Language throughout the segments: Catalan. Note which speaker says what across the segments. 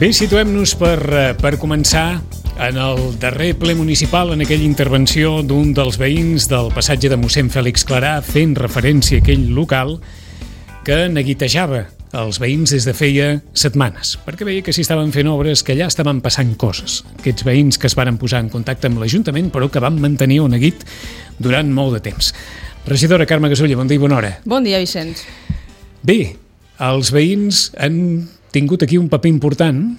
Speaker 1: Bé, situem-nos per començar en el darrer ple municipal, en aquella intervenció d'un dels veïns del passatge de mossèn Fèlix Clarà, fent referència a aquell local que neguitejava els veïns des de feia setmanes, perquè veia que s'hi estaven fent obres, que allà estaven passant coses. Aquests veïns que es varen posar en contacte amb l'Ajuntament, però que van mantenir el neguit durant molt de temps. Regidora Carme Gasulla, bon dia i bona hora.
Speaker 2: Bon dia, Vicenç.
Speaker 1: Bé, els veïns han tingut aquí un paper important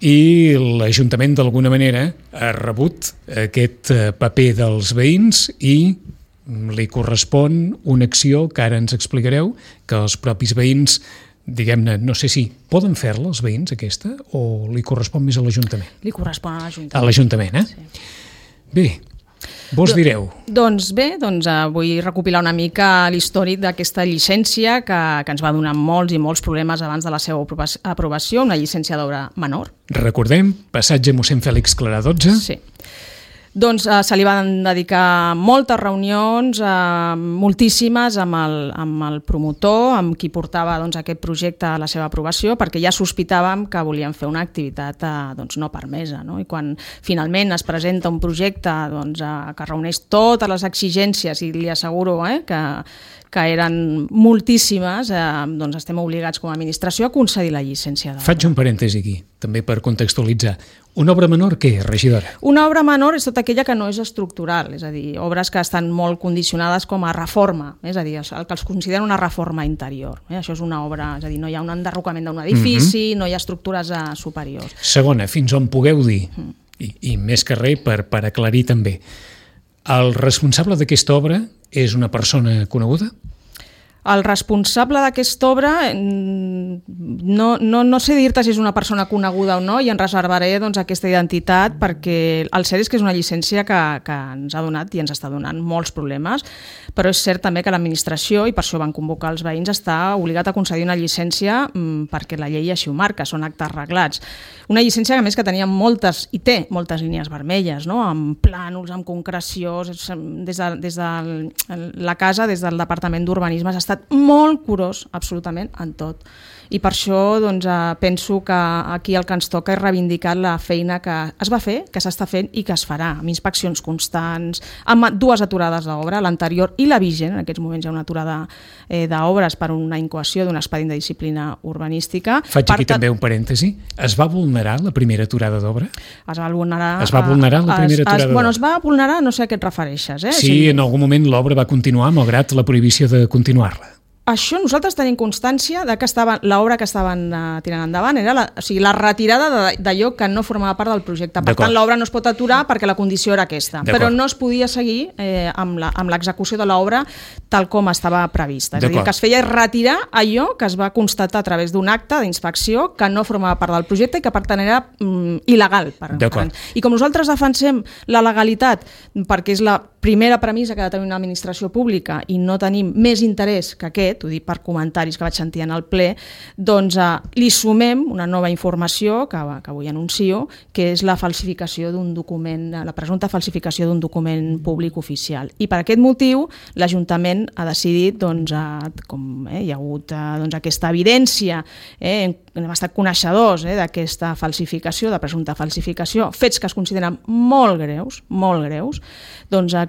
Speaker 1: i l'Ajuntament d'alguna manera ha rebut aquest paper dels veïns i li correspon una acció que ara ens explicareu, que els propis veïns, diguem-ne, no sé si poden fer-la els veïns aquesta o li correspon més a l'Ajuntament?
Speaker 2: Li correspon a l'Ajuntament.
Speaker 1: A l'Ajuntament, eh?
Speaker 2: Sí.
Speaker 1: Bé, vos direu.
Speaker 2: Doncs vull recopilar una mica l'històric d'aquesta llicència que ens va donar molts i molts problemes abans de la seva aprovació, una llicència d'obra menor.
Speaker 1: Recordem, passatge mossèn Fèlix Clarà 12.
Speaker 2: Sí. Doncs se li van dedicar moltes reunions, moltíssimes, amb el promotor, amb qui portava aquest projecte a la seva aprovació, perquè ja sospitàvem que volien fer una activitat no permesa. No? I quan finalment es presenta un projecte que reuneix totes les exigències, i li asseguro que eren moltíssimes, estem obligats com a administració a concedir la llicència d'obra.
Speaker 1: Faig un parèntesi aquí, també per contextualitzar. Una obra menor què, regidora?
Speaker 2: Una obra menor és tota aquella que no és estructural, és a dir, obres que estan molt condicionades com a reforma, és a dir, el que els consideren una reforma interior. Això és una obra, és a dir, no hi ha un enderrocament d'un edifici, no hi ha estructures superiors.
Speaker 1: Segona, fins on pugueu dir, i més que res per aclarir també, el responsable d'aquesta obra és una persona coneguda?
Speaker 2: El responsable d'aquesta obra, no sé dir-te si és una persona coneguda o no, i en reservaré aquesta identitat, perquè el cert és que és una llicència que ens ha donat i ens està donant molts problemes, però és cert també que l'administració, i per això van convocar els veïns, està obligat a concedir una llicència perquè la llei així ho marca, són actes reglats. Una llicència que a més que tenia moltes, i té moltes línies vermelles, no? Amb plànols, amb concreció, des de la casa, des del Departament d'Urbanisme, s'ha estat molt curós, absolutament, en tot. I per això penso que aquí el que ens toca és reivindicar la feina que es va fer, que s'està fent i que es farà, amb inspeccions constants, amb 2 aturades d'obra, l'anterior i la vigent. En aquests moments hi ha una aturada d'obres per una incoació d'un expedient de disciplina urbanística.
Speaker 1: Faig aquí també un parèntesi. Es va vulnerar la primera aturada d'obra?
Speaker 2: Es va vulnerar
Speaker 1: la primera aturada d'obra?
Speaker 2: Es va vulnerar, no sé a què et refereixes.
Speaker 1: Sí, en algun moment l'obra va continuar malgrat la prohibició de continuar-la.
Speaker 2: Això nosaltres tenim constància de que l'obra que estaven tirant endavant era la retirada d'allò que no formava part del projecte. Per tant, l'obra no es pot aturar perquè la condició era aquesta, però no es podia seguir amb l'execució de l'obra tal com estava prevista. És a dir, el que es feia és retirar allò que es va constatar a través d'un acte d'inspecció que no formava part del projecte i que per tant era il·legal. I com nosaltres defensem la legalitat perquè és la primera premissa que ha de tenir una administració pública i no tenim més interès que aquest, ho dic per comentaris que vaig sentir en el ple, li sumem una nova informació que avui anuncio, que és la falsificació d'un document, la presumpta falsificació d'un document públic oficial. I per aquest motiu l'Ajuntament ha decidit, com hi ha hagut aquesta evidència, hem estat coneixedors d'aquesta falsificació, de presumpta falsificació, fets que es consideren molt greus,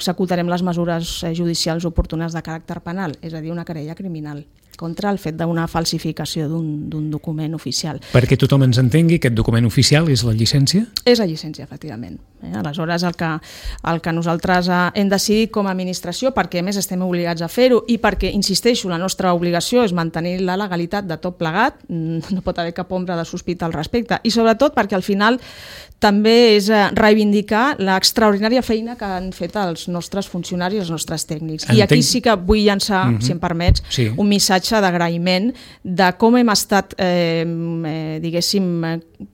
Speaker 2: executarem les mesures judicials oportunes de caràcter penal, és a dir, una querella criminal contra el fet d'una falsificació d'un document oficial.
Speaker 1: Perquè tothom ens entengui, aquest document oficial és la llicència?
Speaker 2: És la llicència, efectivament. Aleshores, el que nosaltres hem decidit com a administració, perquè a més estem obligats a fer-ho i perquè, insisteixo, la nostra obligació és mantenir la legalitat de tot plegat, no pot haver cap ombra de sospita al respecte, i sobretot perquè al final també és reivindicar l'extraordinària feina que han fet els nostres funcionaris i els nostres tècnics. I aquí sí que vull llançar, si em permets, un missatge d'agraïment de com hem estat,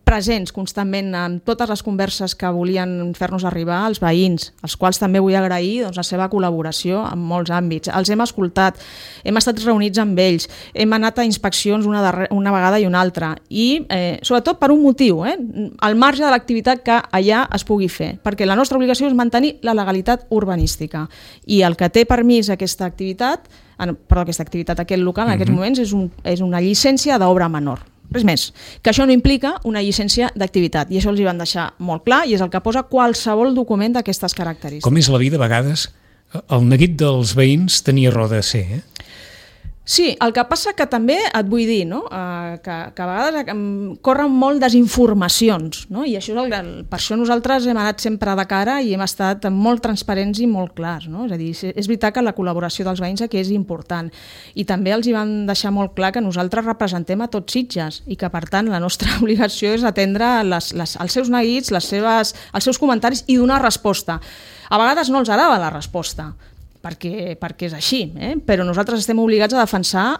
Speaker 2: presents constantment en totes les converses que volien fer-nos arribar als veïns, als quals també vull agrair la seva col·laboració en molts àmbits. Els hem escoltat, hem estat reunits amb ells, hem anat a inspeccions una vegada i una altra i sobretot per un motiu, al marge de l'activitat que allà es pugui fer, perquè la nostra obligació és mantenir la legalitat urbanística i el que té permís aquesta activitat, aquest local en aquests moments és una llicència d'obra menor. res més. Que això no implica una llicència d'activitat, i això els hi van deixar molt clar, i és el que posa qualsevol document d'aquestes característiques.
Speaker 1: Com és la vida, a vegades, el neguit dels veïns tenia raó de ser,
Speaker 2: Sí, el que passa que també et vull dir, no? Que a vegades corren molt desinformacions, no? I això per això nosaltres hem anat sempre de cara i hem estat molt transparents i molt clars, no? És a dir, és veritat que la col·laboració dels veïns aquí és important, i també els hi van deixar molt clar que nosaltres representem a tots Sitges i que per tant la nostra obligació és atendre els seus neguits, els seus comentaris i donar resposta. A vegades no els agrada la resposta, perquè és així, però nosaltres estem obligats a defensar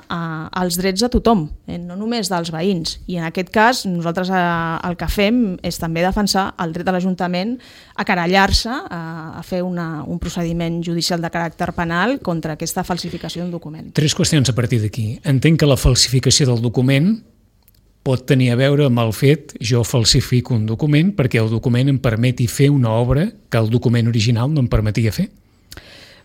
Speaker 2: els drets de tothom, no només dels veïns, i en aquest cas nosaltres el que fem és també defensar el dret de l'Ajuntament a querellar-se, a fer un procediment judicial de caràcter penal contra aquesta falsificació d'un document.
Speaker 1: 3 qüestions a partir d'aquí. Entenc que la falsificació del document pot tenir a veure amb el fet jo falsifico un document perquè el document em permeti fer una obra que el document original no em permetia fer.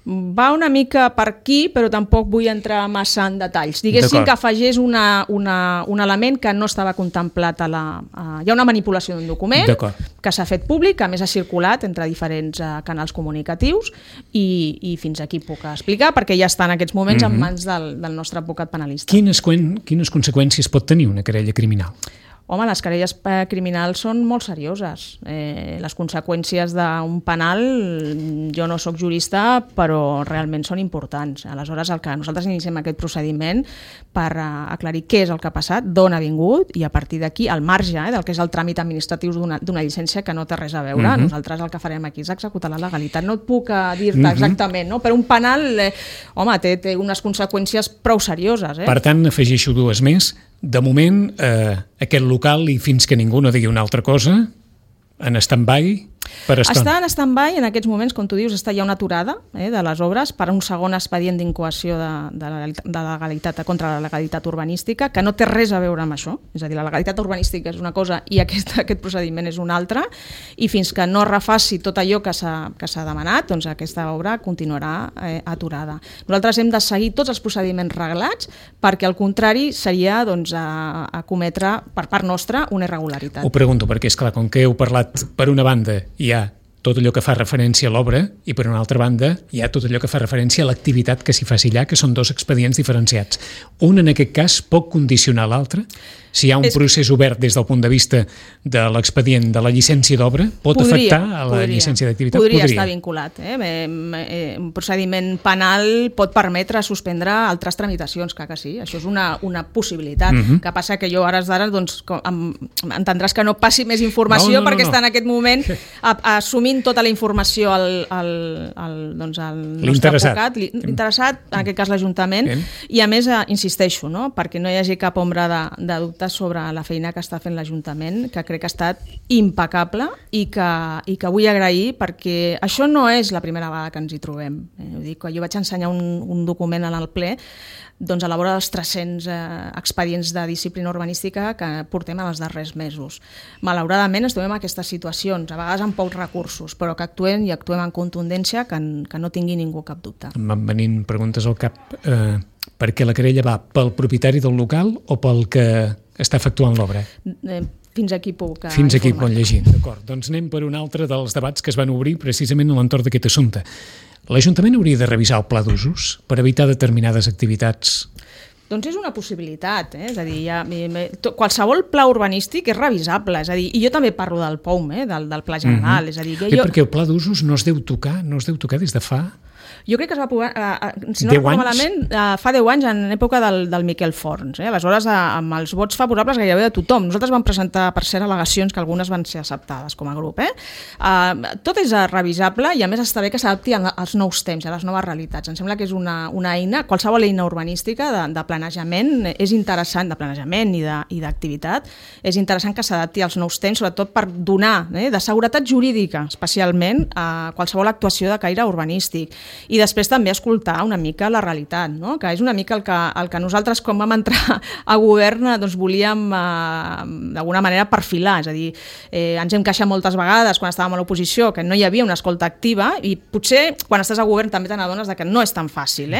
Speaker 2: Va una mica per aquí, però tampoc vull entrar massa en detalls. Diguéssim que afegeix un element que no estava contemplat hi ha una manipulació d'un document que s'ha fet públic, que a més ha circulat entre diferents canals comunicatius, i fins aquí puc explicar, perquè ja està en aquests moments en mans del nostre advocat penalista.
Speaker 1: Quines conseqüències pot tenir una querella criminal?
Speaker 2: Home, les querelles criminals són molt serioses. Les conseqüències d'un penal, jo no sóc jurista, però realment són importants. Aleshores, el que nosaltres iniciem aquest procediment per aclarir què és el que ha passat, d'on ha vingut, i a partir d'aquí, al marge del que és el tràmit administratiu d'una llicència que no té res a veure, nosaltres el que farem aquí és executar la legalitat. No et puc dir-te exactament, no? Però un penal, home, té unes conseqüències prou serioses.
Speaker 1: Per tant, afegeixo 2 més. De moment, aquest local, i fins que ningú no digui una altra cosa, en stand-by per estona.
Speaker 2: Està en stand-by, en aquests moments, com tu dius, està ja una aturada de les obres per un segon expedient d'incoació de legalitat contra la legalitat urbanística, que no té res a veure amb això. És a dir, la legalitat urbanística és una cosa i aquest procediment és una altra, i fins que no refaci tot allò que s'ha demanat, doncs aquesta obra continuarà aturada. Nosaltres hem de seguir tots els procediments reglats, perquè al contrari seria a cometre per part nostra una irregularitat.
Speaker 1: Ho pregunto perquè, esclar, com que heu parlat per una banda hi ha tot allò que fa referència a l'obra i per una altra banda hi ha tot allò que fa referència a l'activitat que s'hi faci allà, que són 2 expedients diferenciats. Un, en aquest cas, pot condicionar l'altre? Si hi ha un procés obert des del punt de vista de l'expedient de la llicència d'obra, pot afectar a la llicència d'activitat?
Speaker 2: Podria estar vinculat. Un procediment penal pot permetre suspendre altres tramitacions, que sí, això és una possibilitat. Que passa que jo ara entendràs que no passi més informació perquè està en aquest moment assumint tota la informació al nostre advocat, l'interessat, en aquest cas l'Ajuntament, i a més insisteixo, perquè no hi hagi cap ombra de dubte sobre la feina que està fent l'Ajuntament, que crec que ha estat impecable i que vull agrair, perquè això no és la primera vegada que ens hi trobem. Jo vaig ensenyar un document al ple a la vora dels 300 expedients de disciplina urbanística que portem en els darrers mesos. Malauradament ens trobem en aquestes situacions, a vegades amb pocs recursos, però que actuem amb contundència, que no tingui ningú cap dubte.
Speaker 1: Em van venint preguntes al cap. Per què la querella va pel propietari del local o pel que està efectuant l'obra?
Speaker 2: Fins aquí puc
Speaker 1: Fins aquí pot llegir, d'acord. Doncs anem per un altre dels debats que es van obrir precisament a l'entorn d'aquest assumpte. L'Ajuntament hauria de revisar el pla d'usos per evitar determinades activitats?
Speaker 2: Doncs és una possibilitat, és a dir, qualsevol pla urbanístic és revisable, és a dir, i jo també parlo del POUM, del Pla General, és a dir...
Speaker 1: Perquè el pla d'usos no es deu tocar des de fa...
Speaker 2: Jo crec que es va aprovar, si no recordo malament, fa 10 anys, en època del Miquel Forns. Aleshores, amb els vots favorables gairebé de tothom. Nosaltres vam presentar, per cert, al·legacions que algunes van ser acceptades com a grup. Tot és revisable i, a més, està bé que s'adapti als nous temps, a les noves realitats. Em sembla que és una eina, qualsevol eina urbanística de planejament és interessant, de planejament i d'activitat, és interessant que s'adapti als nous temps, sobretot per donar de seguretat jurídica, especialment, a qualsevol actuació de caire urbanístic. i després també escoltar una mica la realitat, no? Que és una mica el que nosaltres, quan vam entrar a govern, doncs volíem d'alguna manera perfilar, és a dir, ens hem queixat moltes vegades quan estàvem a l'oposició que no hi havia una escolta activa, i potser quan estàs a govern també te n'adones que no és tan fàcil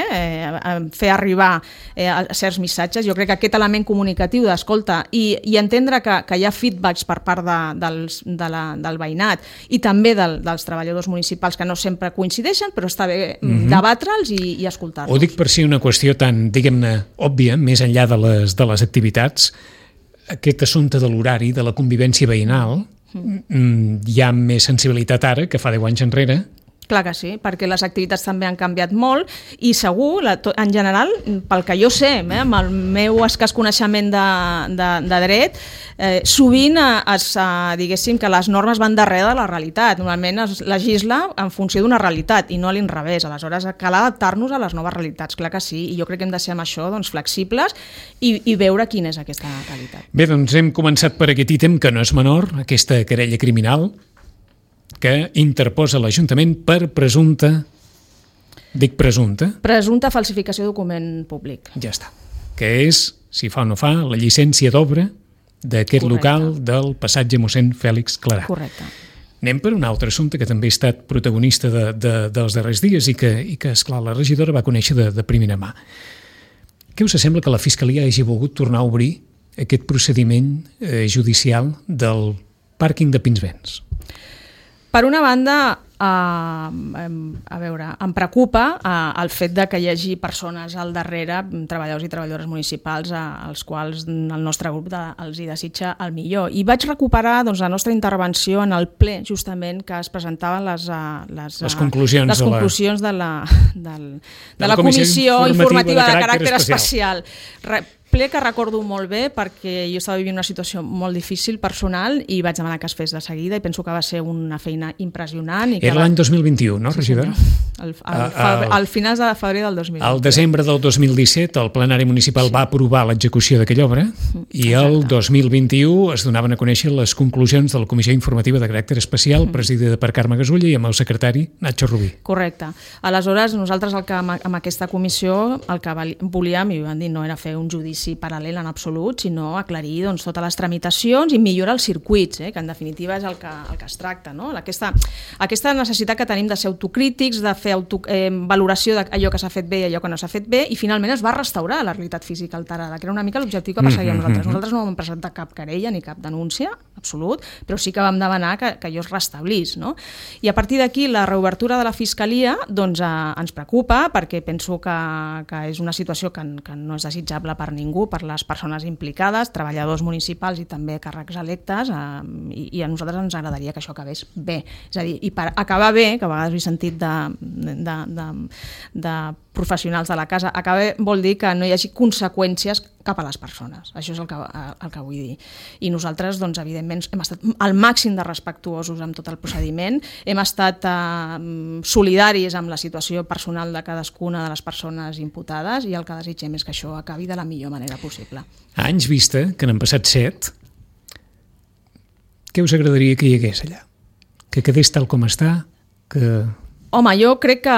Speaker 2: fer arribar certs missatges. Jo crec que aquest element comunicatiu d'escolta i entendre que hi ha feedbacks per part del veïnat i també dels treballadors municipals que no sempre coincideixen, però està bé debatre'ls i escoltar-los.
Speaker 1: Ho dic per si una qüestió tan, diguem-ne, òbvia, més enllà de les activitats, aquest assumpte de l'horari, de la convivència veïnal, hi ha més sensibilitat ara que fa 10 anys enrere.
Speaker 2: Clar que sí, perquè les activitats també han canviat molt i segur, en general, pel que jo sé, amb el meu escàs coneixement de dret, sovint diguéssim que les normes van darrere de la realitat. Normalment es legisla en funció d'una realitat i no a l'inrevés. Aleshores, cal adaptar-nos a les noves realitats, clar que sí, i jo crec que hem de ser amb això flexibles i veure quina és aquesta realitat.
Speaker 1: Bé, doncs hem començat per aquest ítem que no és menor, aquesta querella criminal que interposa l'Ajuntament per presumpta
Speaker 2: falsificació de document públic.
Speaker 1: Ja està. Que és, si fa o no fa, la llicència d'obra d'aquest local del passatge mossèn Fèlix Clarà.
Speaker 2: Correcte.
Speaker 1: Anem per un altre assumpte que també ha estat protagonista dels darrers dies i que esclar, la regidora va conèixer de primera mà. Què us sembla que la Fiscalia hagi volgut tornar a obrir aquest procediment judicial del pàrquing de Pinsbens?
Speaker 2: Per una banda, em preocupa el fet de que hi hagi persones al darrere, treballadors i treballadores municipals, als quals el nostre grup els hi desitja el millor. I vaig recuperar la nostra intervenció en el ple, justament, que es presentaven les conclusions de la Comissió Informativa de Caràcter Especial. Ple que recordo molt bé perquè jo estava vivint una situació molt difícil personal i vaig demanar que es fes de seguida i penso que va ser una feina impressionant.
Speaker 1: Era l'any 2021, no, regidora?
Speaker 2: Al final de febrer del 2021.
Speaker 1: Al desembre del 2017 el plenari municipal va aprovar l'execució d'aquella obra i el 2021 es donaven a conèixer les conclusions de la Comissió Informativa de Caràcter Especial presidida per Carme Gasulla i amb el secretari Nacho Rubí.
Speaker 2: Correcte. Aleshores, nosaltres amb aquesta comissió el que volíem, i ho vam dir, no era fer un judici paral·lel en absolut, sinó aclarir totes les tramitacions i millorar els circuits, que en definitiva és el que es tracta. No? Aquesta necessitat que tenim de ser autocrítics, de fer valoració d'allò que s'ha fet bé i allò que no s'ha fet bé, i finalment es va restaurar la realitat física alterada, que era una mica l'objectiu que perseguíem nosaltres. Nosaltres no vam presentar cap querella ni cap denúncia, absolut, però sí que vam demanar que allò es restablís. No? I a partir d'aquí la reobertura de la Fiscalia ens preocupa perquè penso que és una situació que no és desitjable per ningú, per les persones implicades, treballadors municipals i també càrrecs electes, i a nosaltres ens agradaria que això acabés bé. És a dir, i per acabar bé, que a vegades he sentit de professionals de la casa, acabar vol dir que no hi hagi conseqüències cap a les persones. Això és el que vull dir. I nosaltres, evidentment, hem estat al màxim de respectuosos amb tot el procediment, hem estat solidaris amb la situació personal de cadascuna de les persones imputades i el que desitgem és que això acabi de la millor manera possible.
Speaker 1: A anys vista, que n'han passat 7, què us agradaria que hi hagués allà? Que quedés tal com està?
Speaker 2: Home, jo crec que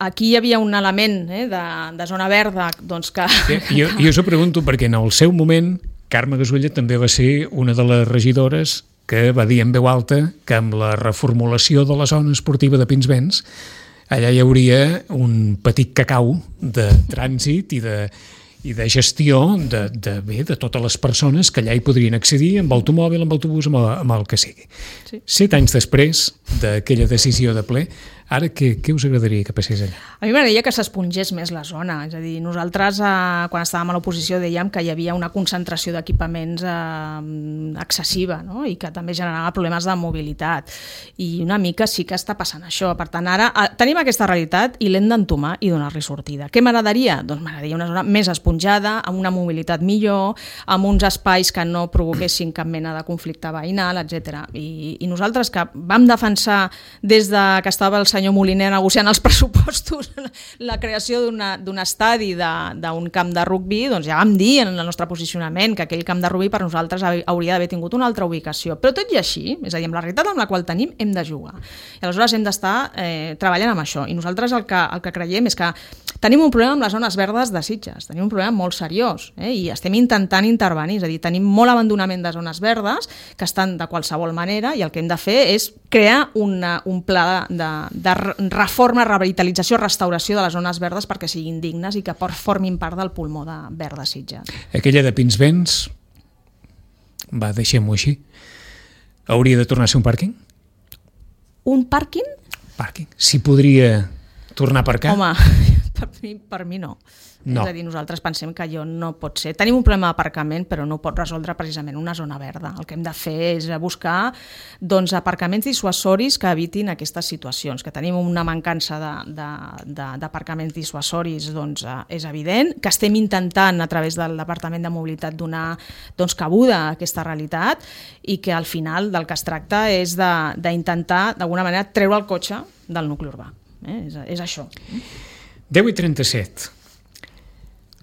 Speaker 2: aquí hi havia un element de zona verda que...
Speaker 1: Jo us ho pregunto perquè en el seu moment Carme Gasulla també va ser una de les regidores que va dir en veu alta que amb la reformulació de la zona esportiva de Pinsbens allà hi hauria un petit cacau de trànsit i de gestió de totes les persones que allà hi podrien accedir amb automòbil, amb autobús, amb el que sigui. Sí. 7 anys després d'aquella decisió de ple, ara què us agradaria que passés allà?
Speaker 2: A mi m'agradaria que s'espongés més la zona, és a dir, nosaltres quan estàvem a l'oposició dèiem que hi havia una concentració d'equipaments excessiva, no? I que també generava problemes de mobilitat i una mica sí que està passant això. Per tant, ara tenim aquesta realitat i l'hem d'entomar i donar-li sortida. Què m'agradaria? Doncs m'agradaria una zona més esponjada, amb una mobilitat millor, amb uns espais que no provoquessin cap mena de conflicte veïnal, etc. I nosaltres que vam defensar des que estava el senyor Moliner negociant els pressupostos la creació d'un estadi d'un camp de rugby, doncs ja vam dir en el nostre posicionament que aquell camp de rugby per nosaltres hauria d'haver tingut una altra ubicació. Però tot i així, és a dir, amb la realitat amb la qual tenim, hem de jugar. I aleshores hem d'estar treballant amb això. I nosaltres el que creiem és que tenim un problema amb les zones verdes de Sitges, tenim un problema molt seriós, i estem intentant intervenir, és a dir, tenim molt abandonament de zones verdes que estan de qualsevol manera i el que hem de fer és crear un pla de reforma, revitalització, restauració de les zones verdes perquè siguin dignes i que formin part del pulmó verd de Sitges.
Speaker 1: Aquella de Pinsbens, deixem-ho així, hauria de tornar a ser un pàrquing?
Speaker 2: Un pàrquing?
Speaker 1: Pàrquing. Si podria tornar a aparcar?
Speaker 2: Home, per mi no. És a dir, nosaltres pensem que allò no pot ser. Tenim un problema d'aparcament, però no ho pot resoldre precisament una zona verda. El que hem de fer és buscar aparcaments dissuasoris que evitin aquestes situacions. Que tenim una mancança d'aparcaments dissuasoris és evident, que estem intentant a través del Departament de Mobilitat donar cabuda a aquesta realitat i que al final del que es tracta és d'intentar d'alguna manera treure el cotxe del nucli urbà. És això.
Speaker 1: 10:37.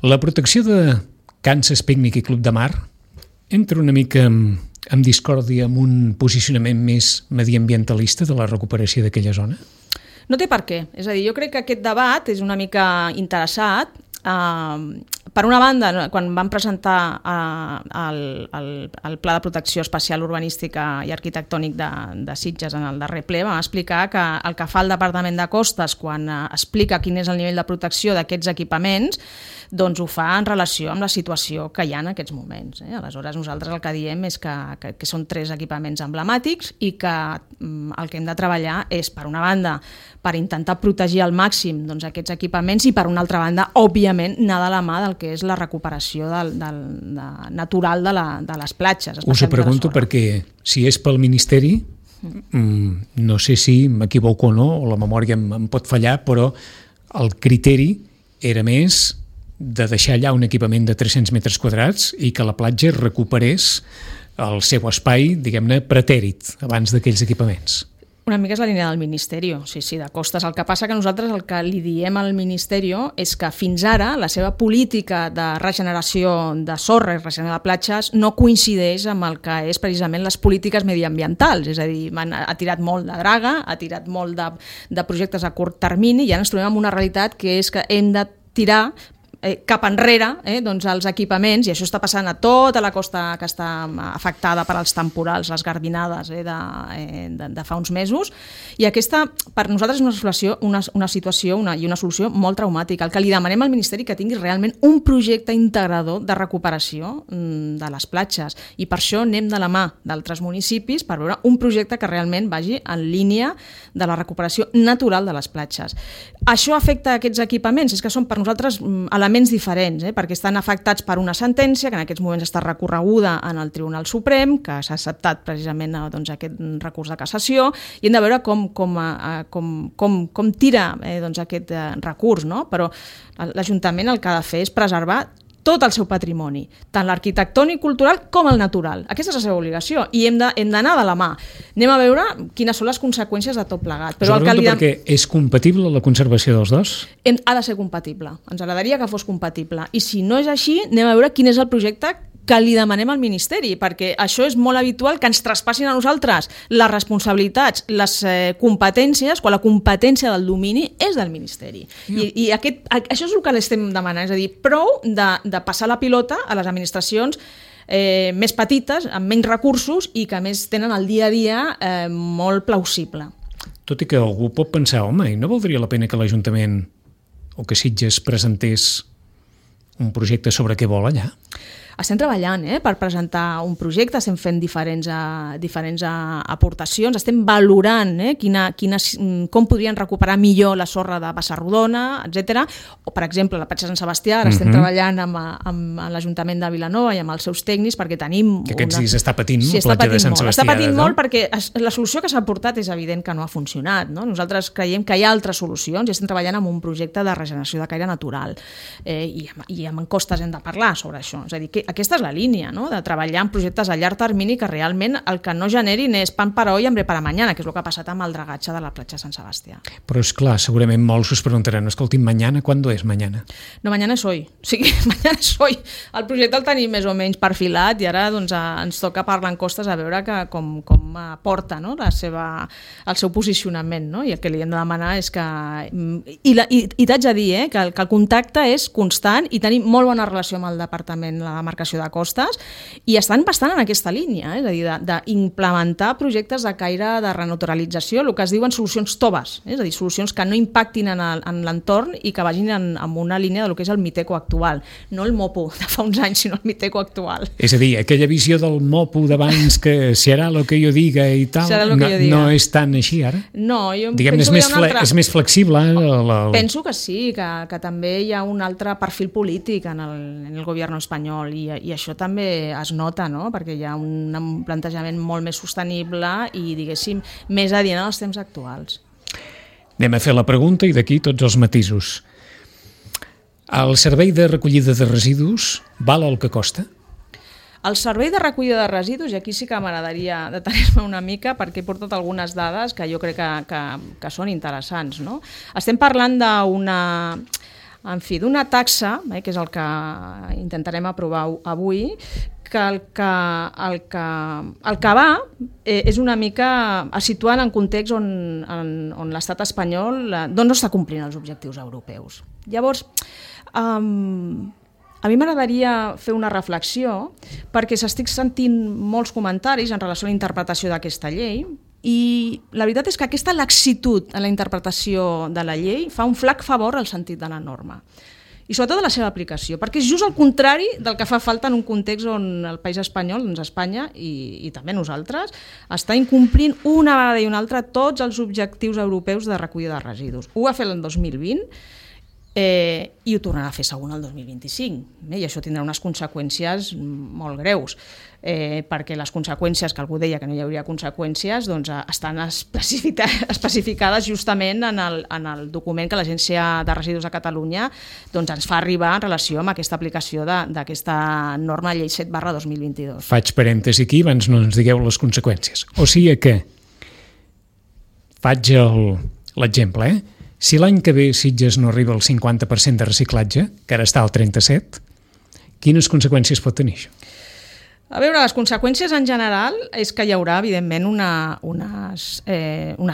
Speaker 1: La protecció de Kansas Picnic i Club de Mar entra una mica en discòrdia amb un posicionament més mediambientalista de la recuperació d'aquella zona?
Speaker 2: No té per què. És a dir, jo crec que aquest debat és una mica interessat. Per una banda, quan vam presentar el Pla de Protecció Especial Urbanística i Arquitectònic de Sitges en el darrer ple, vam explicar que el que fa el Departament de Costes quan explica quin és el nivell de protecció d'aquests equipaments, doncs ho fa en relació amb la situació que hi ha en aquests moments. Aleshores, nosaltres el que diem és que són 3 equipaments emblemàtics i que el que hem de treballar és, per una banda, per intentar protegir al màxim aquests equipaments i, per una altra banda, òbviament, anar de la mà del que és la recuperació natural de les platges.
Speaker 1: Us ho pregunto perquè, si és pel Ministeri, no sé si m'equivoco o no, o la memòria em pot fallar, però el criteri era més de deixar allà un equipament de 300 metres quadrats i que la platja recuperés el seu espai, diguem-ne, pretèrit abans d'aquells equipaments.
Speaker 2: Una mica és la línia del Ministeri, sí, de Costes. El que passa que nosaltres el que li diem al Ministeri és que fins ara la seva política de regeneració de sorra i regeneració de platges no coincideix amb el que és precisament les polítiques mediambientals. És a dir, ha tirat molt de draga, ha tirat molt de projectes a curt termini i ara ens trobem amb una realitat que és que hem de tirar cap enrere els equipaments, i això està passant a tota la costa que està afectada per als temporals, les garbinades de fa uns mesos, i aquesta per nosaltres és una situació i una solució molt traumàtica. El que li demanem al Ministeri que tingui realment un projecte integrador de recuperació de les platges, i per això anem de la mà d'altres municipis per veure un projecte que realment vagi en línia de la recuperació natural de les platges. Això afecta a aquests equipaments, és que són per nosaltres elements diferents, perquè estan afectats per una sentència que en aquests moments està recorreguda en el Tribunal Suprem, que s'ha acceptat precisament aquest recurs de cassació, i hem de veure com tira aquest recurs, no? Però l'Ajuntament el que ha de fer és preservar tot el seu patrimoni, tant l'arquitectònic, cultural com el natural. Aquesta és la seva obligació i hem d'anar de la mà. Anem a veure quines són les conseqüències de tot plegat.
Speaker 1: Però perquè és compatible la conservació dels dos?
Speaker 2: Ha de ser compatible. Ens agradaria que fos compatible. I si no és així, anem a veure quin és el projecte que li demanem al Ministeri, perquè això és molt habitual que ens traspassin a nosaltres les responsabilitats, les competències, quan la competència del domini és del Ministeri. I això és el que l'estem demanant, és a dir, prou de passar la pilota a les administracions més petites, amb menys recursos i que a més tenen el dia a dia molt plausible.
Speaker 1: Tot i que algú pot pensar, home, i no valdria la pena que l'Ajuntament o que Sitges presentés un projecte sobre què vol allà?
Speaker 2: Estem treballant per presentar un projecte, estem fent diferents aportacions, estem valorant com podrien recuperar millor la sorra de Basarrodona, etc. O, per exemple, la platja Sant Sebastià, ara estem treballant amb l'Ajuntament de Vilanova i amb els seus tècnics perquè tenim...
Speaker 1: Que aquests dies està patint la platja de Sant Sebastià.
Speaker 2: Està patint molt perquè la solució que s'ha portat és evident que no ha funcionat. Nosaltres creiem que hi ha altres solucions i estem treballant en un projecte de regeneració de caire natural. I amb Costes hem de parlar sobre això. És a dir, aquesta és la línia, no? De treballar en projectes a llarg termini que realment el que no generin és pan para hoy, hambre para mañana, que és el que ha passat amb el dragatge de la platja Sant Sebastià.
Speaker 1: Però és clar, segurament molts us preguntaran, escolti, mañana, ¿cuándo es mañana?
Speaker 2: No, mañana es hoy. O sigui, mañana es hoy. El projecte el tenim més o menys perfilat i ara doncs, ens toca parlar en costes a veure com porta, no? El seu posicionament, no? I el que li hem de demanar és que... I t'haig de dir que el contacte és constant i tenim molt bona relació amb el Departament de la Demarcació de Costes i estan bastant en aquesta línia, és a dir, d'implementar projectes de caire de renaturalització, el que es diuen solucions toves, és a dir, solucions que no impactin en l'entorn i que vagin en una línia del que és el Miteco actual, no el MOPU de fa uns anys, sinó el Miteco actual.
Speaker 1: És a dir, aquella visió del MOPU d'abans que serà el que jo diga i tal, no és tan així ara?
Speaker 2: No, jo
Speaker 1: diguem,
Speaker 2: penso que
Speaker 1: és més flexible.
Speaker 2: Penso que sí, que també hi ha un altre perfil polític en el govern espanyol i això també es nota, no? Perquè hi ha un plantejament molt més sostenible i, diguéssim, més adient als temps actuals.
Speaker 1: Anem a fer la pregunta i d'aquí tots els matisos. El servei de recollida de residus val el que costa?
Speaker 2: El servei de recollida de residus, i aquí sí que m'agradaria detenir-me una mica perquè he portat algunes dades que jo crec que són interessants, no? Estem parlant d'una taxa, que és el que intentarem aprovar avui, que el que va és una mica a situar en context on l'estat espanyol no està complint els objectius europeus. Llavors, a mi m'agradaria fer una reflexió perquè s'estic sentint molts comentaris en relació a la interpretació d'aquesta llei i la veritat és que aquesta laxitud en la interpretació de la llei fa un flac favor al sentit de la norma i sobretot de la seva aplicació, perquè és just el contrari del que fa falta en un context on el país espanyol, doncs Espanya i també nosaltres, està incomplint una vegada i una altra tots els objectius europeus de recollida de residus. Ho va fer l'any 2020 i ho tornarà a fer segon el 2025 i això tindrà unes conseqüències molt greus perquè les conseqüències, que algú deia que no hi hauria conseqüències, doncs estan especificades justament en el document que l'Agència de Residus de Catalunya doncs ens fa arribar en relació amb aquesta aplicació d'aquesta norma llei 7/2022.
Speaker 1: Faig parèntesi aquí abans no ens digueu les conseqüències. O sigui que faig l'exemple, si l'any que ve Sitges no arriba al 50% de reciclatge, que ara està al 37%, quines conseqüències pot tenir això?
Speaker 2: A veure, les conseqüències en general és que hi haurà, evidentment, unes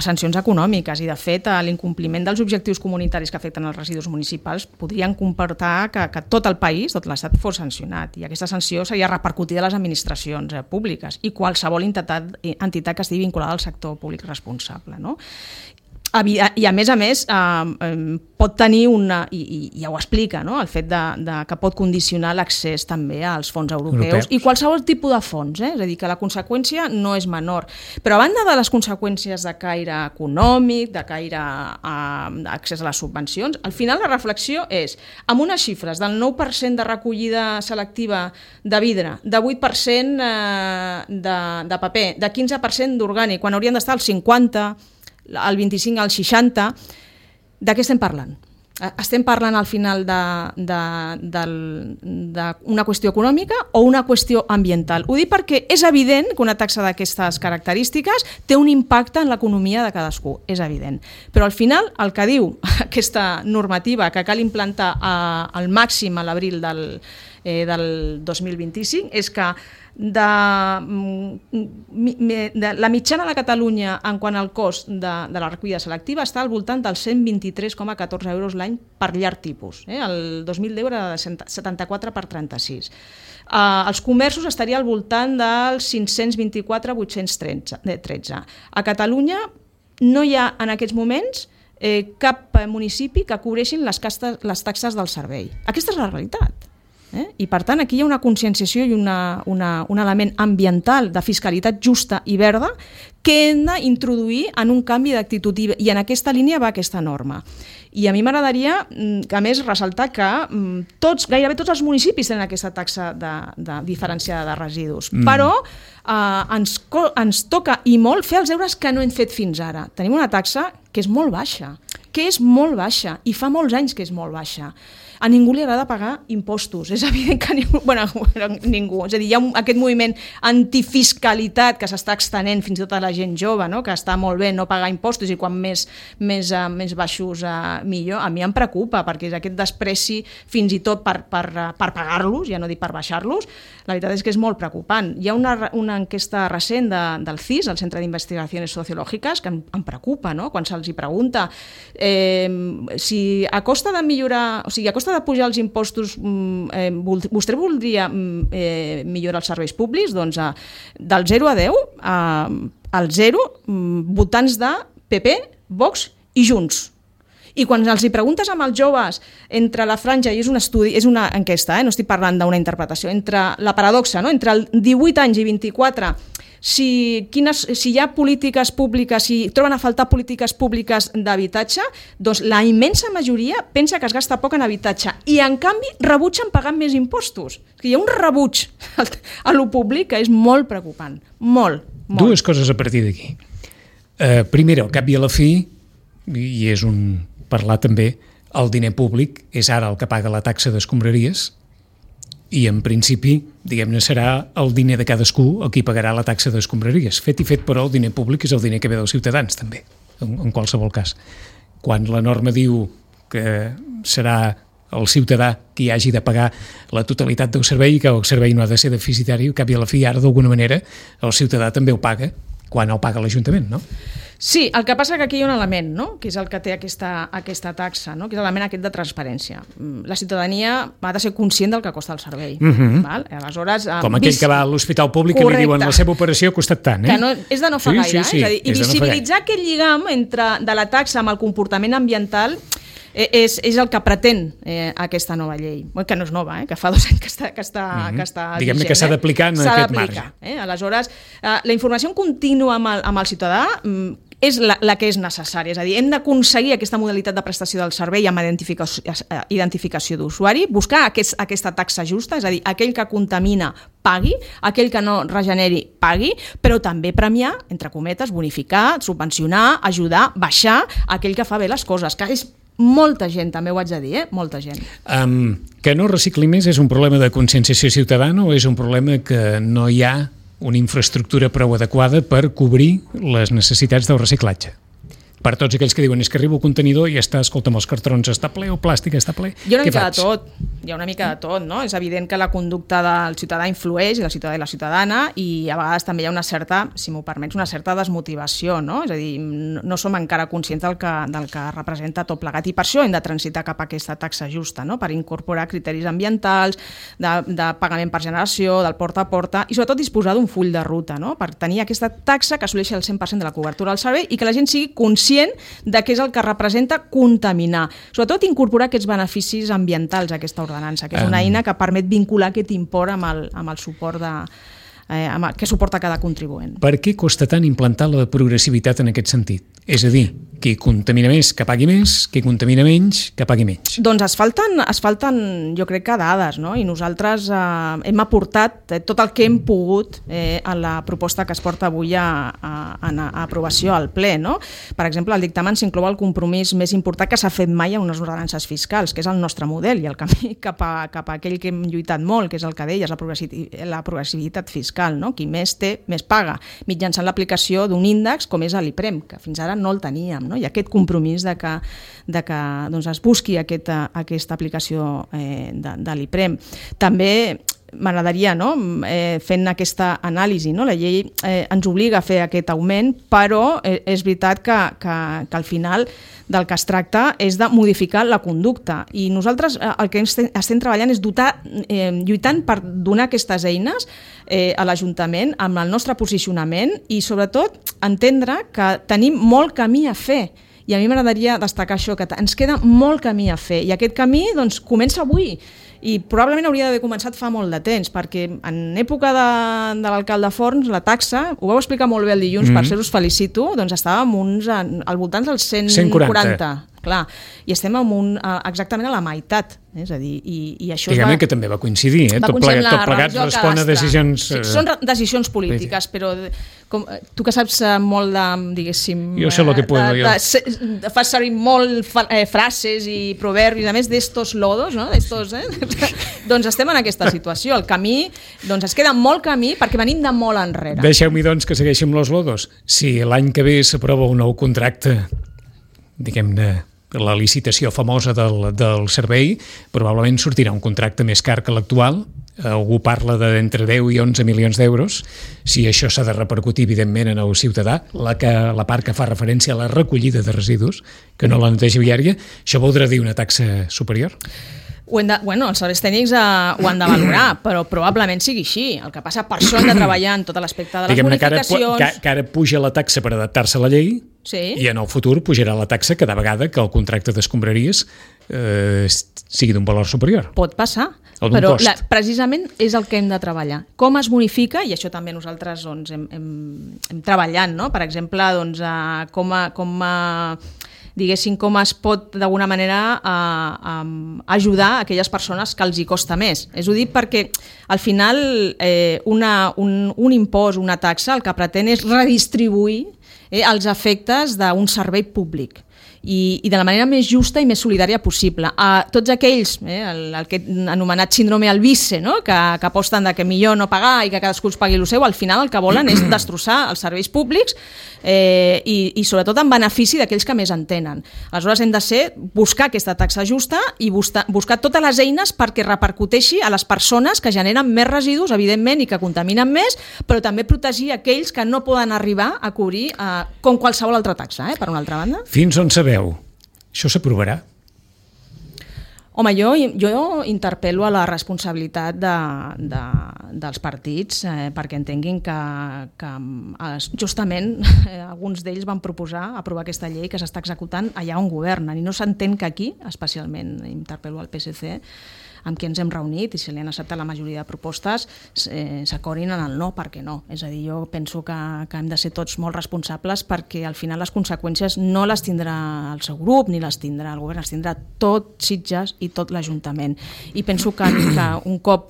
Speaker 2: sancions econòmiques i, de fet, l'incompliment dels objectius comunitaris que afecten els residus municipals podrien comportar que tot el país, tot l'Estat, fos sancionat i aquesta sanció seria repercutida a les administracions públiques i qualsevol entitat que estigui vinculada al sector públic responsable, no? I a més pot tenir i ja ho explica, no? El fet que pot condicionar l'accés també als fons europeus i qualsevol tipus de fons, és a dir, que la conseqüència no és menor. Però a banda de les conseqüències de caire econòmic, de caire d'accés a les subvencions, al final la reflexió és, amb unes xifres del 9% de recollida selectiva de vidre, de 8% de paper, de 15% d'orgànic, quan haurien d'estar al 50%, al 25, al 60, de què estem parlant? Estem parlant al final d'una qüestió econòmica o una qüestió ambiental? Ho dic perquè és evident que una taxa d'aquestes característiques té un impacte en l'economia de cadascú, és evident. Però al final el que diu aquesta normativa que cal implantar al màxim a l'abril del 2025 és que la mitjana de Catalunya en quant al cost de la recollida selectiva està al voltant dels 123,14 euros l'any per llar tipus. El 2010 era de 74 per 36. Els comerços estaria al voltant dels 524,813. A Catalunya no hi ha en aquests moments cap municipi que cobreixin les taxes del servei. Aquesta és la realitat. I per tant aquí hi ha una conscienciació i un element ambiental de fiscalitat justa i verda que hem d'introduir en un canvi d'actitud i en aquesta línia va aquesta norma. I a mi m'agradaria, a més, ressaltar que gairebé tots els municipis tenen aquesta taxa diferenciada de residus, però ens toca i molt fer els deures que no hem fet fins ara. Tenim una taxa que és molt baixa i fa molts anys que és molt baixa. A ningú li agrada pagar impostos. És evident que ningú. És a dir, hi ha aquest moviment antifiscalitat que s'està extenent fins i tot a la gent jove, no? Que està molt bé no pagar impostos i quan més baixos millor. A mi em preocupa perquè és aquest despreci fins i tot per pagar-los, ja no dic per baixar-los. La veritat és que és molt preocupant. Hi ha una enquesta recent del CIS, el Centre d'Investigacions Sociològiques, que em preocupa, no? Quan se'ls pregunta si a costa de millorar, o sigui, a costa de pujar els impostos vostè voldria millorar els serveis públics? Doncs del 0 a 10, al 0, votants de PP, Vox i Junts. I quan els hi preguntes amb els joves entre la franja, i és un estudi, és una enquesta, no estic parlant d'una interpretació, entre la paradoxa, no? Entre el 18 anys i 24, si hi ha polítiques públiques, si troben a faltar polítiques públiques d'habitatge, doncs la immensa majoria pensa que es gasta poc en habitatge i en canvi rebutgen pagant més impostos. Hi ha un rebuig a lo públic que és molt preocupant, molt.
Speaker 1: Dues coses a partir d'aquí. Primera, al cap i a la fi, i és un parlar també, el diner públic és ara el que paga la taxa d'escombraries i en principi, diguem-ne, serà el diner de cadascú el qui pagarà la taxa d'escombraries. Fet i fet, però, el diner públic és el diner que ve dels ciutadans, també, en qualsevol cas. Quan la norma diu que serà el ciutadà qui hagi de pagar la totalitat del servei i que el servei no ha de ser deficitari, al cap i a la fi, ara, d'alguna manera, el ciutadà també ho paga quan el paga l'Ajuntament, no?
Speaker 2: Sí, el que passa que aquí hi ha un element, no? Que és el que té aquesta taxa, no? Que és l'element aquest de transparència. La ciutadania ha de ser conscient del que costa el servei. Val? Aleshores,
Speaker 1: com aquell que va a l'hospital públic i li diuen la seva operació ha costat tant.
Speaker 2: Que no, és de no fa gaire. És a dir, i visibilitzar aquest lligam de la taxa amb el comportament ambiental és el que pretén aquesta nova llei, que no és nova, que fa 2 anys que està
Speaker 1: diguem-ne que s'ha d'aplicar en aquest marge.
Speaker 2: Aleshores, la informació contínua amb el ciutadà és la que és necessària, és a dir, hem d'aconseguir aquesta modalitat de prestació del servei amb identificació d'usuari, buscar aquesta taxa justa, és a dir, aquell que contamina pagui, aquell que no regeneri pagui, però també premiar, entre cometes, bonificar, subvencionar, ajudar, baixar aquell que fa bé les coses, que és molta gent, també ho haig de dir, molta gent.
Speaker 1: Que no recicli més és un problema de conscienciació ciutadana o és un problema que no hi ha una infraestructura prou adequada per cobrir les necessitats del reciclatge? Per tots aquells que diuen és que arriba el contenidor i està, escolta'm, els cartrons està ple o plàstic està ple.
Speaker 2: Hi ha una mica de tot, no? És evident que la conducta del ciutadà influeix, i del ciutadà i la ciutadana, i a vegades també hi ha una certa, si m'ho permets, una certa desmotivació, no? És a dir, no som encara conscients del que representa tot plegat, i per això hem de transitar cap a aquesta taxa justa, no? Per incorporar criteris ambientals, de pagament per generació, del porta a porta, i sobretot disposar d'un full de ruta, no? Per tenir aquesta taxa que assoleixi el 100% de la cobertura del servei i que la gent sigui conscient de què és el que representa contaminar. Sobretot incorporar aquests beneficis ambientals a aquesta ordenança, que és una eina que permet vincular aquest import amb el suport que suporta cada contribuent.
Speaker 1: Per què costa tant implantar la progressivitat en aquest sentit? És a dir, qui contamina més que pagui més, qui contamina menys que pagui menys.
Speaker 2: Doncs es falten jo crec que dades, no? I nosaltres hem aportat tot el que hem pogut a la proposta que es porta avui a aprovació al ple, no? Per exemple, al dictamen s'inclou el compromís més important que s'ha fet mai en unes ordenances fiscals, que és el nostre model i el camí cap a aquell que hem lluitat molt, que és el que deies, la progressivitat fiscal, no? Qui més té, més paga, mitjançant l'aplicació d'un índex com és l'IPREM, que fins ara no el teníem, no? I aquest compromís de que doncs es busqui aquesta aplicació de l'IPREM. També m'agradaria, no? Fent aquesta anàlisi, no? La llei ens obliga a fer aquest augment, però és veritat que al final del que es tracta és de modificar la conducta, i nosaltres el que estem treballant és lluitant per donar aquestes eines a l'Ajuntament amb el nostre posicionament i sobretot entendre que tenim molt camí a fer. I a mi m'agradaria destacar això, que ens queda molt camí a fer, i aquest camí doncs, comença avui, i probablement hauria d'haver començat fa molt de temps, perquè en època de l'alcalde Forns, la taxa, ho vau explicar molt bé el dilluns, per ser us felicito, doncs estàvem al voltant dels 140 clar, i estem exactament a la meitat, és a dir, i això
Speaker 1: diguem que també va coincidir, tot plegat respon a decisions...
Speaker 2: Sí, són decisions polítiques, però tu que saps molt de, diguéssim...
Speaker 1: Jo sé el que puedo,
Speaker 2: fas servir molt frases i proverbis, a més d'estos lodos, no? Doncs estem en aquesta situació. El camí, doncs es queda molt camí perquè venim de molt enrere.
Speaker 1: Deixeu-m'hi doncs que segueixi amb los lodos. Si l'any que ve s'aprova un nou contracte, diguem-ne, la licitació famosa del servei, probablement sortirà un contracte més car que l'actual. Algú parla d'entre 10 i 11 milions d'euros. Si això s'ha de repercutir, evidentment, en el ciutadà, la part que fa referència a la recollida de residus, que no la neteja viària, això voldrà dir una taxa superior?
Speaker 2: Els serveis tècnics ho han de valorar, però probablement sigui així. El que passa, per això hem de treballar en tot l'aspecte de les bonificacions...
Speaker 1: Que ara puja la taxa per adaptar-se a la llei, i en el futur pujarà la taxa cada vegada que el contracte d'escombraries sigui d'un valor superior.
Speaker 2: Pot passar, però precisament és el que hem de treballar. Com es bonifica, i això també nosaltres hem treballat, no? Per exemple, diguéssim, com es pot d'alguna manera ajudar a aquelles persones que els hi costa més. És ho dic perquè al final un impost, una taxa, el que pretén és redistribuir els efectes d'un servei públic i de la manera més justa i més solidària possible. A tots aquells, el que he anomenat síndrome Alvise, no? que aposten que millor no pagar i que cadascú es pagui el seu, al final el que volen és destrossar els serveis públics i sobretot en benefici d'aquells que més en tenen. Aleshores hem de buscar aquesta taxa justa i buscar totes les eines perquè repercuteixi a les persones que generen més residus, evidentment, i que contaminen més, però també protegir aquells que no poden arribar a cobrir com qualsevol altra taxa, per una altra banda.
Speaker 1: Fins on sabeu? Això s'aprovarà?
Speaker 2: Home, jo interpel·lo a la responsabilitat dels partits perquè entenguin que justament alguns d'ells van proposar aprovar aquesta llei que s'està executant allà on governen i no s'entén que aquí, especialment interpel·lo al PSC, amb qui ens hem reunit i si li han acceptat la majoria de propostes s'acordin en el no, perquè no. És a dir, jo penso que hem de ser tots molt responsables perquè al final les conseqüències no les tindrà el seu grup ni les tindrà el govern, les tindrà tot Sitges i tot l'Ajuntament. I penso que un cop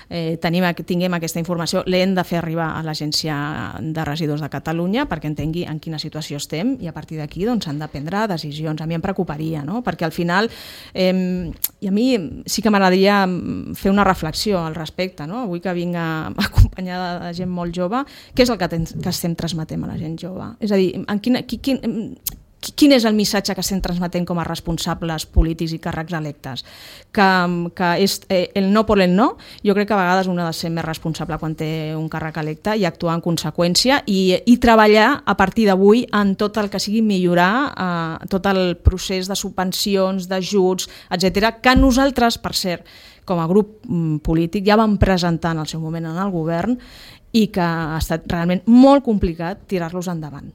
Speaker 2: tinguem aquesta informació l'hem de fer arribar a l'Agència de Residus de Catalunya perquè entengui en quina situació estem i a partir d'aquí s'han de prendre decisions. A mi em preocuparia, no? Perquè al final, i a mi sí que m'agradaria fer una reflexió al respecte, no? Avui que vinc acompanyada de gent molt jove, què és el que estem transmetent a la gent jove? És a dir, quin és el missatge que estem transmetent com a responsables polítics i càrrecs electes? Que és el no por el no. Jo crec que a vegades un ha de ser més responsable quan té un càrrec electe i actuar en conseqüència i treballar a partir d'avui en tot el que sigui millorar tot el procés de subvencions, d'ajuts, etc., que nosaltres, per cert, com a grup polític, ja vam presentar en el seu moment en el govern i que ha estat realment molt complicat tirar-los endavant.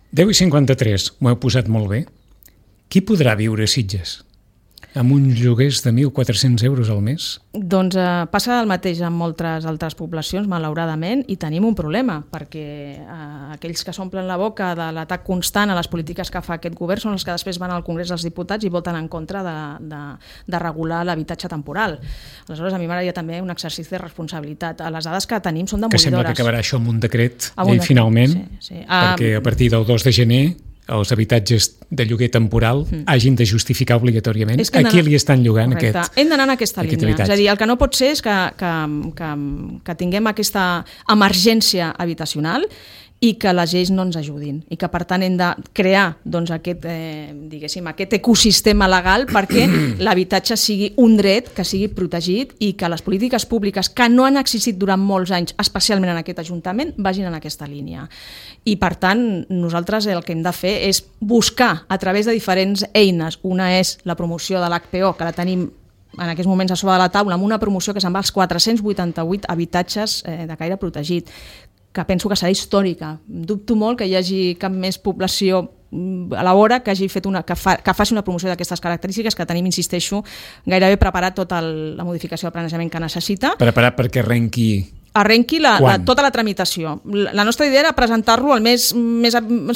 Speaker 1: 10:53, m'ho heu posat molt bé. Qui podrà viure a Sitges amb uns lloguers de 1.400 euros al mes?
Speaker 2: Doncs passa el mateix en moltes altres poblacions, malauradament, i tenim un problema, perquè aquells que s'omplen la boca de l'atac constant a les polítiques que fa aquest govern són els que després van al Congrés dels Diputats i voten en contra de regular l'habitatge temporal. Aleshores, a mi m'agradaria també un exercici de responsabilitat. Les dades que tenim són demolidores.
Speaker 1: Que sembla que acabarà això amb un decret, finalment, perquè a partir del 2 de gener els habitatges de lloguer temporal hagin de justificar obligatòriament a qui li estan llogant aquest.
Speaker 2: Hem d'anar en aquesta línia. És a dir, el que no pot ser és que tinguem aquesta emergència habitacional i que les lleis no ens ajudin i que per tant hem de crear aquest ecosistema legal perquè l'habitatge sigui un dret que sigui protegit i que les polítiques públiques que no han existit durant molts anys, especialment en aquest Ajuntament, vagin en aquesta línia. I per tant, nosaltres el que hem de fer és buscar a través de diferents eines. Una és la promoció de l'HPO, que la tenim en aquests moments a sobre de la taula, amb una promoció que se'n va als 488 habitatges de caire protegit, que penso que serà històrica. Dubto molt que hi hagi cap més població a la vora que faci una promoció d'aquestes característiques, que tenim, insisteixo, gairebé preparat tota la modificació de planejament que necessita.
Speaker 1: Preparat perquè arrenqui
Speaker 2: arrenqui tota la tramitació. La nostra idea era presentar-lo al mes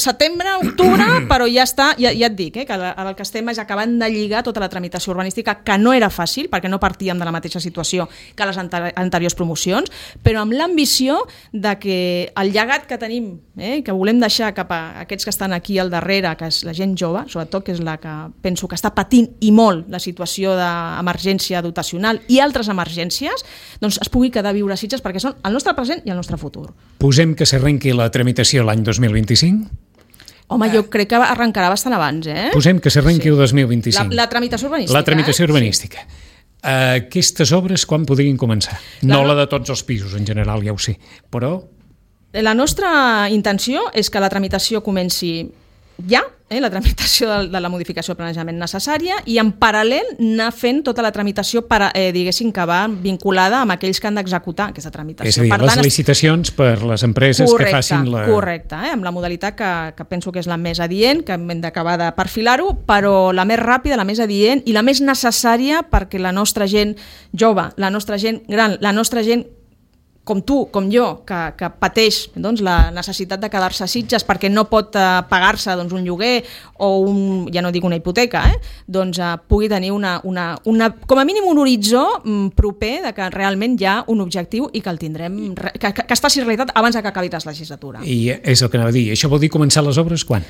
Speaker 2: setembre, octubre, però ja està, ja et dic, que el que estem és acabant de lligar tota la tramitació urbanística, que no era fàcil, perquè no partíem de la mateixa situació que les anteriors promocions, però amb l'ambició de que el llegat que tenim, que volem deixar cap a aquests que estan aquí al darrere, que és la gent jove, sobretot, que és la que penso que està patint i molt la situació d'emergència dotacional i altres emergències, doncs es pugui quedar a viure a Sitges perquè són el nostre present i el nostre futur.
Speaker 1: Posem que s'arrenqui la tramitació l'any 2025?
Speaker 2: Home, jo crec que arrencarà bastant abans,
Speaker 1: Posem que s'arrenqui el 2025.
Speaker 2: La tramitació urbanística.
Speaker 1: La tramitació urbanística. Aquestes obres quan podrien començar? No la de tots els pisos, en general, ja ho sé, però...
Speaker 2: La nostra intenció és que la tramitació comenci ja, la tramitació de la modificació de planejament necessària, i en paral·lel anar fent tota la tramitació diguéssim que va vinculada amb aquells que han d'executar aquesta tramitació.
Speaker 1: És a dir, les licitacions per les empreses que facin la...
Speaker 2: Correcte, amb la modalitat que penso que és la més adient, que hem d'acabar de perfilar-ho, però la més ràpida, la més adient i la més necessària perquè la nostra gent jove, la nostra gent gran, la nostra gent com tu, com jo, que pateix la necessitat de quedar-se a Sitges perquè no pot pagar-se un lloguer o ja no dic una hipoteca, pugui tenir com a mínim un horitzó proper de que realment hi ha un objectiu i que el tindrem, que es faci realitat abans que acabi la legislatura.
Speaker 1: I és el que anava a dir. Això vol dir començar les obres quan?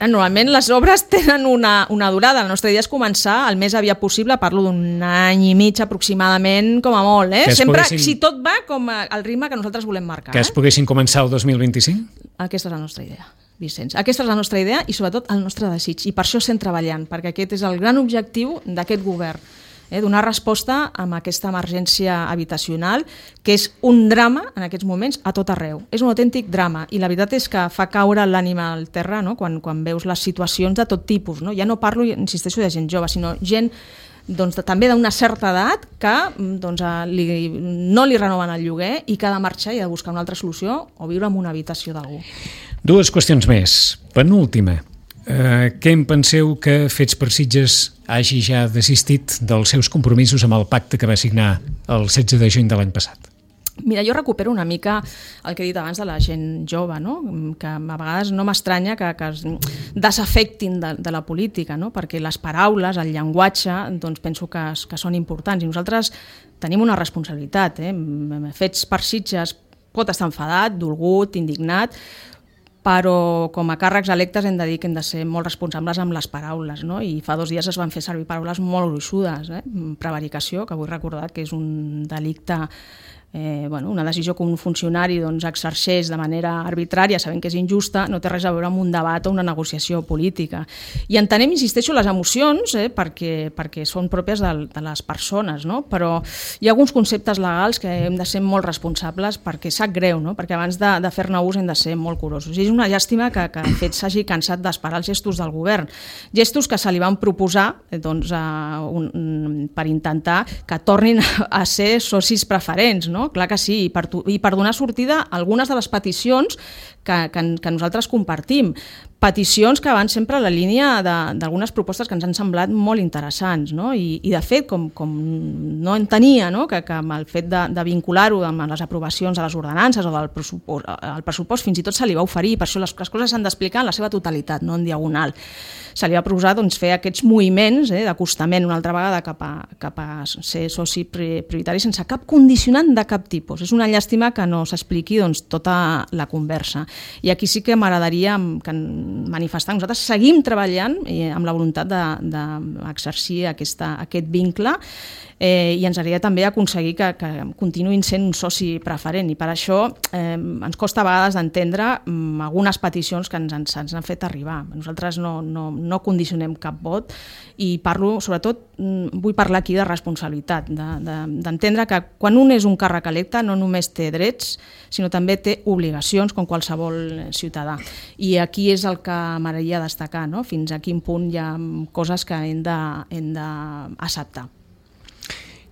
Speaker 2: Normalment les obres tenen una durada. La nostra idea és començar el més aviat possible, parlo d'un any i mig aproximadament, com a molt. Sempre, si tot va com al ritme que nosaltres volem marcar.
Speaker 1: Que es poguessin començar el 2025?
Speaker 2: Aquesta és la nostra idea, Vicenç. Aquesta és la nostra idea i sobretot el nostre desig. I per això estem treballant, perquè aquest és el gran objectiu d'aquest govern. Donar resposta a aquesta emergència habitacional, que és un drama en aquests moments a tot arreu. És un autèntic drama i la veritat és que fa caure l'ànima al terra, no? Quan veus les situacions de tot tipus. No? Ja no parlo, insisteixo, de gent jove, sinó gent també d'una certa edat que no li renoven el lloguer i que ha de marxar i ha de buscar una altra solució o viure en una habitació d'algú.
Speaker 1: Dues qüestions més. Penúltima. Què en penseu que Fets per Sitges hagi ja desistit dels seus compromisos amb el pacte que va signar el 16 de juny de l'any passat?
Speaker 2: Mira, jo recupero una mica el que he dit abans de la gent jove, no? Que a vegades no m'estranya que es desafectin de la política, no? Perquè les paraules, el llenguatge, penso que són importants i nosaltres tenim una responsabilitat. Fets per Sitges pot estar enfadat, dolgut, indignat, però com a càrrecs electes hem de dir que hem de ser molt responsables amb les paraules, no? I fa 2 dies es van fer servir paraules molt gruixudes, prevaricació, que vull recordar que és un delicte, una decisió que un funcionari exerceix de manera arbitrària, sabent que és injusta, no té res a veure amb un debat o una negociació política. I entenem, insisteixo, les emocions, perquè són pròpies de les persones, no? Però hi ha alguns conceptes legals que hem de ser molt responsables perquè sap greu, no? Perquè abans de fer-ne ús hem de ser molt curosos. I és una llàstima que de fet s'hagi cansat d'esperar els gestos del govern. Gestos que se li van proposar per intentar que tornin a ser socis preferents, no? Clar que sí, i per donar sortida a algunes de les peticions que nosaltres compartim. Peticions que van sempre a la línia d'algunes propostes que ens han semblat molt interessants, no? I de fet, com no entenia, no? Que amb el fet de vincular-ho amb les aprovacions de les ordenances o del pressupost fins i tot se li va oferir, per això les coses s'han d'explicar en la seva totalitat, no en diagonal. Se li va proposar fer aquests moviments d'acostament una altra vegada cap a ser soci prioritari sense cap condicionant de cap tipus. És una llàstima que no s'expliqui tota la conversa. I aquí sí que m'agradaria manifestar. Nosaltres seguim treballant amb la voluntat d'exercir aquest vincle i ens agradaria també aconseguir que continuïn sent un soci preferent i per això ens costa a vegades d'entendre algunes peticions que ens han fet arribar. Nosaltres no condicionem cap vot i sobretot vull parlar aquí de responsabilitat, d'entendre que quan un és un càrrec electe no només té drets sinó també té obligacions com qualsevol ciutadà. I aquí és el que m'agradaria destacar, no? Fins a quin punt hi ha coses que hem d'acceptar.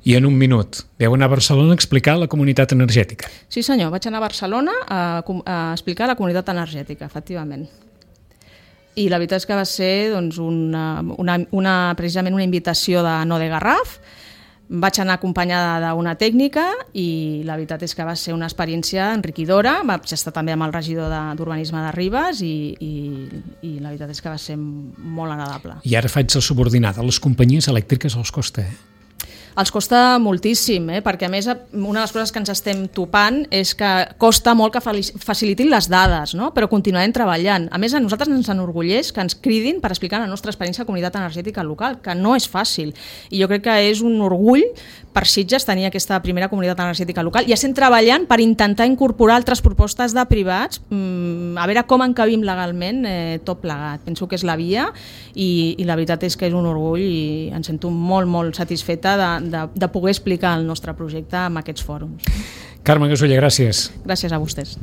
Speaker 1: I en un minut, vau anar a Barcelona a explicar la comunitat energètica.
Speaker 2: Sí senyor, vaig anar a Barcelona a explicar la comunitat energètica, efectivament. I la veritat és que va ser precisament una invitació de No de Garraf, Vaig anar acompanyada d'una tècnica i la veritat és que va ser una experiència enriquidora. Vaig estar també amb el regidor d'Urbanisme de Ribes i la veritat és que va ser molt agradable.
Speaker 1: I ara faig el subordinat. A les companyies elèctriques els costa,
Speaker 2: Els costa moltíssim, perquè a més una de les coses que ens estem topant és que costa molt que facilitin les dades, no? Però continuarem treballant. A més, a nosaltres ens enorgulleix que ens cridin per explicar la nostra experiència de comunitat energètica local, que no és fàcil. I jo crec que és un orgull per Sitges tenir aquesta primera comunitat energètica local i estem treballant per intentar incorporar altres propostes de privats, a veure com encabim legalment tot plegat. Penso que és la via i la veritat és que és un orgull i em sento molt, molt satisfeta de poder explicar el nostre projecte en aquests fòrums.
Speaker 1: Carme Gasulla, gràcies.
Speaker 2: Gràcies a vostès.